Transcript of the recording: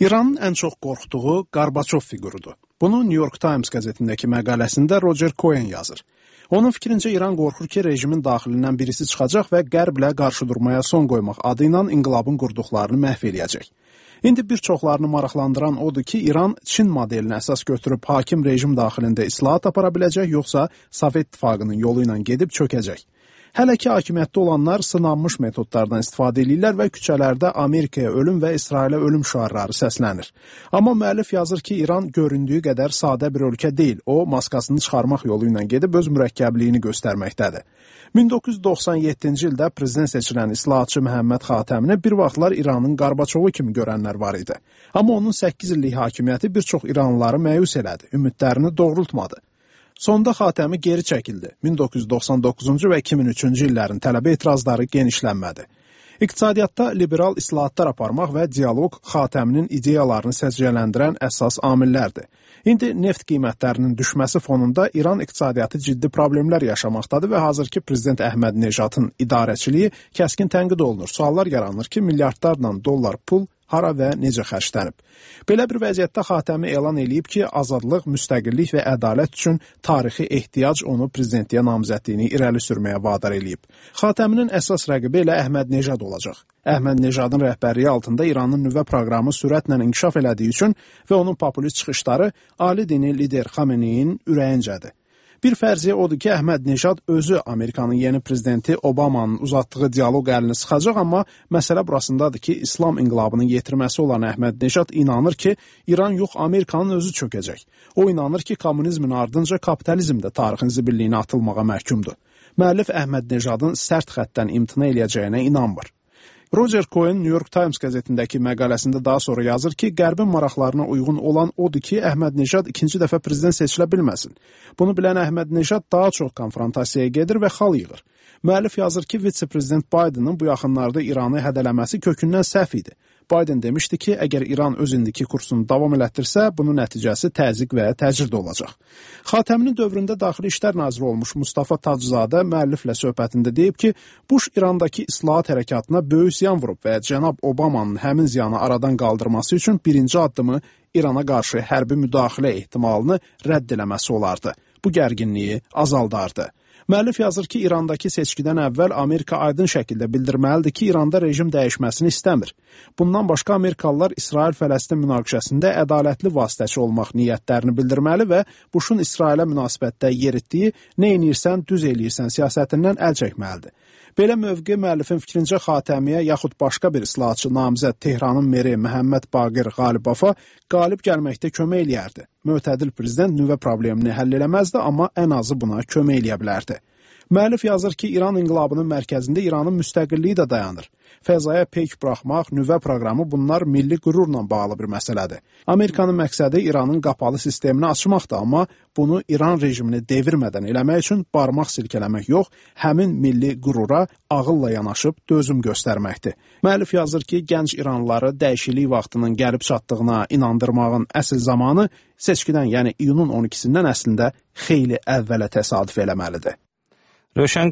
İranın ən çox qorxduğu Qarbaçov fiqurudur. Bunu New York Times qəzetindəki məqaləsində Roger Cohen yazır. Onun fikrincə İran qorxur ki, rejimin daxilindən birisi çıxacaq və Qərblə qarşıdurmaya son qoymaq adı ilə inqilabın qurduqlarını məhv eləyəcək. İndi bir çoxlarını maraqlandıran odur ki, İran Çin modelinə əsas götürüb hakim rejim daxilində islahat apara biləcək, yoxsa Sovet İttifaqının yolu ilə gedib çökəcək. Hələ ki, hakimiyyətdə olanlar sınanmış metodlardan istifadə edirlər və küçələrdə Amerikaya ölüm və İsrailə ölüm şüarları səslənir. Amma müəllif yazır ki, İran göründüyü qədər sadə bir ölkə deyil. O, maskasını çıxarmaq yolu ilə gedib öz mürəkkəbliyini göstərməkdədir. 1997-ci ildə prezident seçilən islahatçı Məhəmməd Xatəmini bir vaxtlar İranın Qarbaçovu kimi görənlər var idi. Amma onun 8 illik hakimiyyəti bir çox İranlıları məyus elədi, ümidlərini doğrultmadı. Sonda Xatəmi geri çəkildi. 1999-cu və 2003-cü illərin tələbə etirazları genişlənmədi. İqtisadiyyatda liberal islahatlar aparmaq və dialoq Xatəminin ideyalarını səciyyələndirən əsas amillərdir. İndi neft qiymətlərinin düşməsi fonunda İran iqtisadiyyatı ciddi problemlər yaşamaqdadır və hazırki prezident Əhməd Nejadın idarəçiliyi kəskin tənqid olunur. Suallar yaranır ki, milyardlarla dollar pul hara və necə xərclənib. Belə bir vəziyyətdə Xatəmi elan eləyib ki, azadlıq, müstəqillik və ədalət üçün tarixi ehtiyac onu prezidentliyə namizədliyini irəli sürməyə vadar eləyib. Xatəminin əsas rəqibi elə Əhməd Nejad olacaq. Əhməd Nejadın rəhbərliyi altında İranın nüvə proqramı sürətlə inkişaf elədiyi üçün və onun populist çıxışları ali dini lider Xameneyin ürəyincədir. Bir fərziyyə odur ki, Əhməd Nejad özü Amerikanın yeni prezidenti Obamanın uzatdığı dialoq əlini sıxacaq, amma məsələ burasındadır ki, İslam inqilabının yetirməsi olan Əhməd Nejad inanır ki, İran yox, Amerikanın özü çökəcək. O inanır ki, kommunizmin ardınca kapitalizm də tarixin zibilliyinə atılmağa məhkumdur. Müəllif Əhməd Nejadın sərt xəttdən imtina eləyəcəyinə inanmır. Roger Cohen New York Times qəzetindəki məqaləsində daha sonra yazır ki, Qərbin maraqlarına uyğun olan odur ki, Əhməd Nejad ikinci dəfə prezident seçilə bilməsin. Bunu bilən Əhməd Nejad daha çox konfrontasiyaya gedir və xal yığır. Müəllif yazır ki, vitse-prezident Bidenin bu yaxınlarda İranı hədələməsi kökündən səhv idi. Biden demişdi ki, əgər İran öz indiki kursunu davam elətdirsə, bunun nəticəsi təzyiq və təcrid olacaq. Xatəminin dövründə Daxili İşlər Naziri olmuş Mustafa Taczadə müəlliflə söhbətində deyib ki, Bush İrandakı islahat hərəkatına böyük ziyan vurub və cənab Obamanın həmin ziyanı aradan qaldırması üçün birinci addımı İrana qarşı hərbi müdaxilə ehtimalını rədd eləməsi olardı. Bu gərginliyi azaldardı. Müəllif yazır ki, İrandakı seçkidən əvvəl Amerika aydın şəkildə bildirməlidir ki, İranda rejim dəyişməsini istəmir. Bundan başqa Amerikalılar İsrail-Fələstin münaqişəsində ədalətli vasitəçi olmaq niyyətlərini bildirməli və Bushun İsrailə münasibətdə yeritdiyi nə edirsən, düz eləyirsən siyasətindən əl çəkməlidir. Belə mövqe müəllifin fikrincə Xatəmiyə yaxud başqa bir islahatçı namizəd Tehranın meri Məhəmməd Baqir Qalibova qalib gəlməkdə kömək eləyərdi. Mötədil prezident nüvə problemini həll eləməzdi, amma ən azı buna kömək eləyə bilərdi. Müəllif yazır ki, İran inqilabının mərkəzində İranın müstəqilliyi də dayanır. Fəzaya peyk buraxmaq, nüvə proqramı bunlar milli qürurla bağlı bir məsələdir. Amerikanın məqsədi İranın qapalı sistemini açmaqdır, amma bunu İran rejimini devirmədən eləmək üçün barmaq silkələmək yox, həmin milli qürura ağılla yanaşıb dözüm göstərməkdir. Müəllif yazır ki, gənc İranlıları dəyişiklik vaxtının gəlib çatdığına inandırmağın əsl zamanı seçkidən, yəni iyunun 12-sindən əslində xeyli əvvələ təsadüf eləməlidir. Rövşən